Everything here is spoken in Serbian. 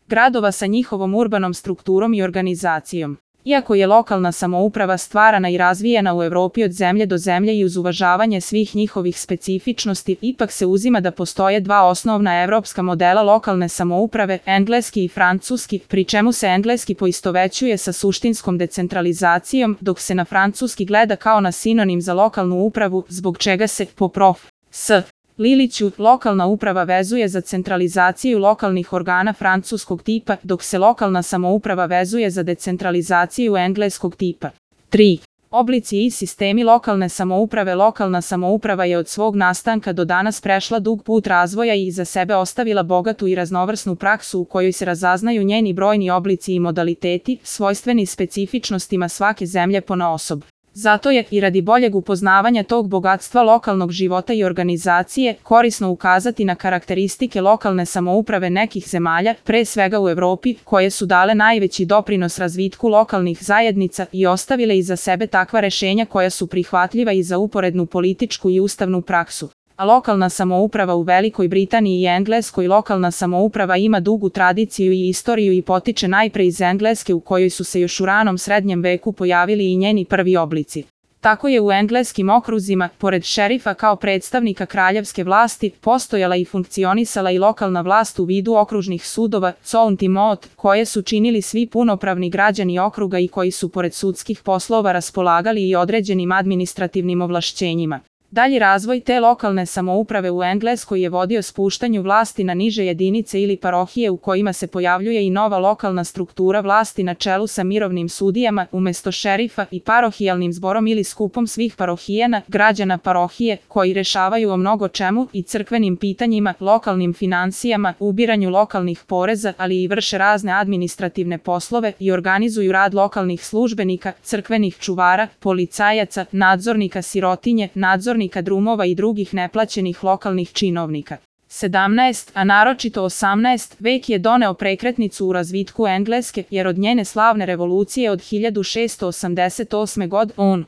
gradova sa njihovom urbanom strukturom i organizacijom. Iako je lokalna samouprava stvarana i razvijena u Evropi od zemlje do zemlje i uz uvažavanje svih njihovih specifičnosti, ipak se uzima da postoje dva osnovna evropska modela lokalne samouprave, engleski i francuski, pri čemu se engleski poistovećuje sa suštinskom decentralizacijom, dok se na francuski gleda kao na sinonim za lokalnu upravu, zbog čega se, po prof. S. Liliću, lokalna uprava vezuje za centralizaciju lokalnih organa francuskog tipa, dok se lokalna samouprava vezuje za decentralizaciju engleskog tipa. 3. Oblici i sistemi lokalne samouprave. Lokalna samouprava je od svog nastanka do danas prešla dug put razvoja i iza sebe ostavila bogatu i raznovrsnu praksu u kojoj se razaznaju njeni brojni oblici i modaliteti, svojstveni specifičnostima svake zemlje ponaosob. Zato je, i radi boljeg upoznavanja tog bogatstva lokalnog života i organizacije, korisno ukazati na karakteristike lokalne samouprave nekih zemalja, pre svega u Evropi, koje su dale najveći doprinos razvitku lokalnih zajednica i ostavile iza sebe takva rešenja koja su prihvatljiva i za uporednu političku i ustavnu praksu. A lokalna samouprava u Velikoj Britaniji i Engleskoj. Lokalna samouprava ima dugu tradiciju i istoriju i potiče najpre iz Engleske, u kojoj su se još u ranom srednjem veku pojavili i njeni prvi oblici. Tako je u engleskim okruzima, pored šerifa kao predstavnika kraljevske vlasti, postojala i funkcionisala i lokalna vlast u vidu okružnih sudova, county moot, koje su činili svi punopravni građani okruga i koji su pored sudskih poslova raspolagali i određenim administrativnim ovlašćenjima. Dalji razvoj te lokalne samouprave u Engleskoj je vodio spuštanju vlasti na niže jedinice ili parohije, u kojima se pojavljuje i nova lokalna struktura vlasti na čelu sa mirovnim sudijama, umesto šerifa, i parohijalnim zborom ili skupom svih parohijana, građana parohije, koji rešavaju o mnogo čemu i crkvenim pitanjima, lokalnim finansijama, ubiranju lokalnih poreza, ali i vrše razne administrativne poslove i organizuju rad lokalnih službenika, crkvenih čuvara, policajaca, nadzornika sirotinje, nadzornika drumova i drugih neplaćenih lokalnih činovnika. 17, a naročito 18. vek je doneo prekretnicu u razvitku Engleske, jer od njene slavne revolucije od 1688. godine